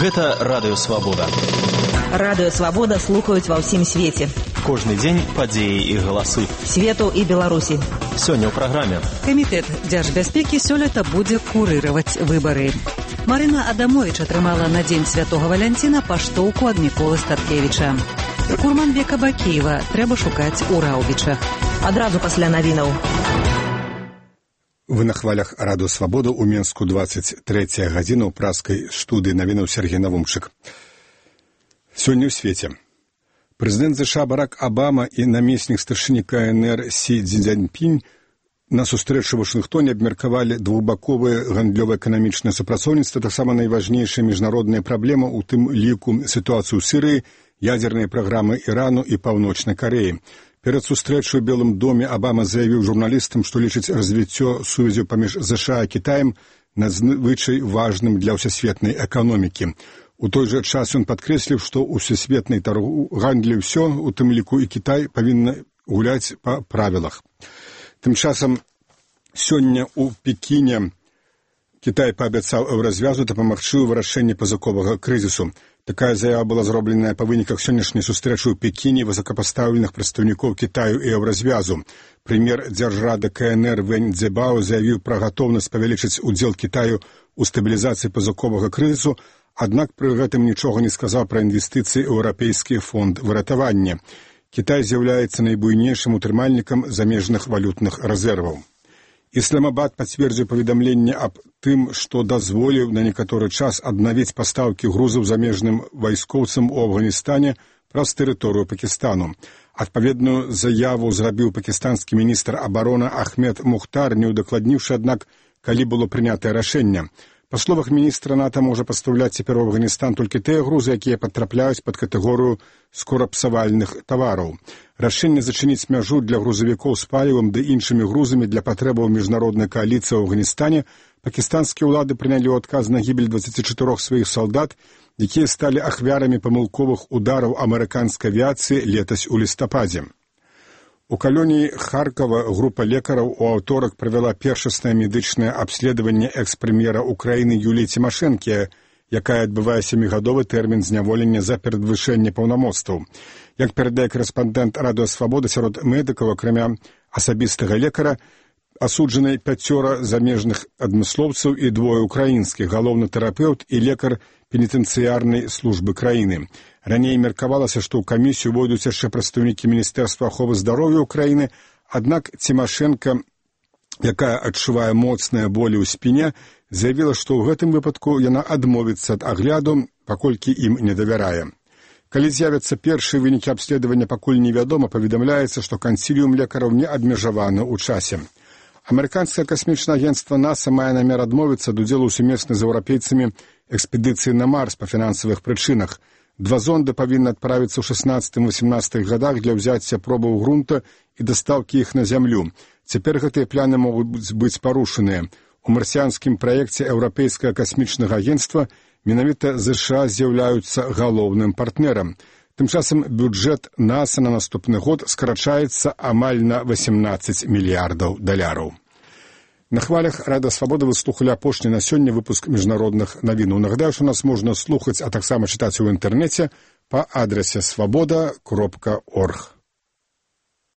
Гэта Радыё Свабода. Радыё Свабода слухаюць ва ўсім свеце. Кожны дзень падзеі і галасы. Свету і Беларусі. Сёння ў праграме. Камітэт дзяржбяспекі сёлета будзе курыраваць выбары. Марына Адамовіч атрымала на дзень Святога Валянціна паштоўку ад Міколы Статкевіча. Курманбека Бакеева трэба шукаць у Раўбічах. Адразу пасля навінаў. Вы на хвалях Радыё Свабода ў Менску 23 гадзіна ў праскай студыі навінаў Сергей Навумчык. Сёння ў свеце. Прэзідэнт ЗША Барак Абама і намеснік старшыні КНР Сі Цзіньпінь на сустрэчы ў Вашынгтоне абмеркавалі двухбаковае гандлёва-эканамічнае супрацоўніцтва, таксама найважнейшая міжнародная праблема, у тым ліку сітуацыю ў Сірыі, ядзерныя праграмы Ірану і Паўночнай Карэі. Перад сустрэчай у Белым доме Абама заявіў журналістам, што лічыць развіццё сувязяў паміж ЗША і Кітаем надзвычай важным для ўсесветнай эканомікі. У той жа час ён падкрэсліў, што ў сусветнай гандлі ўсё, у тым ліку і Кітай, павінна гуляць па правілах. Тым часам сёння ў Пекіне Кітай паабяцаў еўразвязу дапамагчы ў вырашэнні пазыковага крызісу. Такая заява была зробленая па выніках сённяшняй сустрэчы ў Пекіне высокапастаўленых прадстаўнікоў Кітаю і еўразвязу. Прэм'ер дзяржрады КНР Вэнь Цзэбао заявіў пра гатоўнасць павялічыць удзел Кітаю ў стабілізацыі пазыковага крызісу, аднак пры гэтым нічога не сказаў пра інвестыцыі ў еўрапейскі фонд выратавання. Кітай з'яўляецца найбуйнейшым утрымальнікам замежных валютных рэзерваў. Ісламабад пацвердзіў паведамленне аб тым, што дазволіў на некаторы час аднавіць пастаўкі грузаў замежным вайскоўцам у Афганістане праз тэрыторыю Пакістану. Адпаведную заяву зрабіў пакістанскі міністр абароны Ахмед Мухтар, не ўдакладніўшы, аднак, калі было прынятае рашэнне. Па словах міністра, НАТО можа пастаўляць цяпер у Афганістан толькі тыя грузы, якія патрапляюць пад катэгорыю скорапсавальных тавараў. Рашэнне зачыніць мяжу для грузавікоў з палівам ды іншымі грузамі для патрэбаў міжнароднай кааліцыі ў Афганістане пакістанскія ўлады прынялі ў адказ на гібель 24 сваіх салдат, якія сталі ахвярамі памылковых удараў амерыканскай авіяцыі летась у лістападзе. У калоніі Харкова група лекараў у аўторак правяла першаснае медычнае абследаванне экс-прэм'ера Украіны Юліі Цімашэнкі, якая адбывае 7гадовы тэрмін зняволення за перадвышэнне паўнамоцтваў. Як перадае корэспандэнт Радыё Свабода, сярод медыкаў, акрамя асабістага лекара, асуджаны 5 замежных адмыслоўцаў і 2 украінскіх, галоўны тэрапеўт і лекар пенітэнцыярнай службы краіны. Раней меркавалася, што ў камісію увойдуць яшчэ прадстаўнікі Міністэрства аховы здароўя ўкраіны, аднак Цімашэнка, якая адчувае моцныя болі ў спіне, заявіла, што ў гэтым выпадку яна адмовіцца ад агляду, паколькі ім не давярае. Калі з'явяцца першыя вынікі абследавання, пакуль невядома, паведамляецца, што кансіліум лекараў не абмежаваны ў часе. Амерыканскае касмічнае агенцтва НАСА мае намер адмовіцца ад удзелу ў сумеснай з еўрапейцамі экспедыцыі на Марс па фінансавых прычынах. 2 зонды павінны адправіцца ў 16-18 гадах для ўзяцця пробаў грунта і дастаўкі іх на зямлю. Цяпер гэтыя пляны могуць быць парушаныя. У марсіанскім праекце еўрапейскага касмічнага агенцтва менавіта ЗША з'яўляюцца галоўным партнерам. Тым часам бюджэт НАСА на наступны год скарачаецца амаль на $18 мільярдаў. На хвалях Радыё Свабода вы слухалі апошні на сёння выпуск міжнародных навінаў. Нагадаю, што нас можна слухаць, а таксама чытаць у інтэрнэце па адрасе свабода.орг.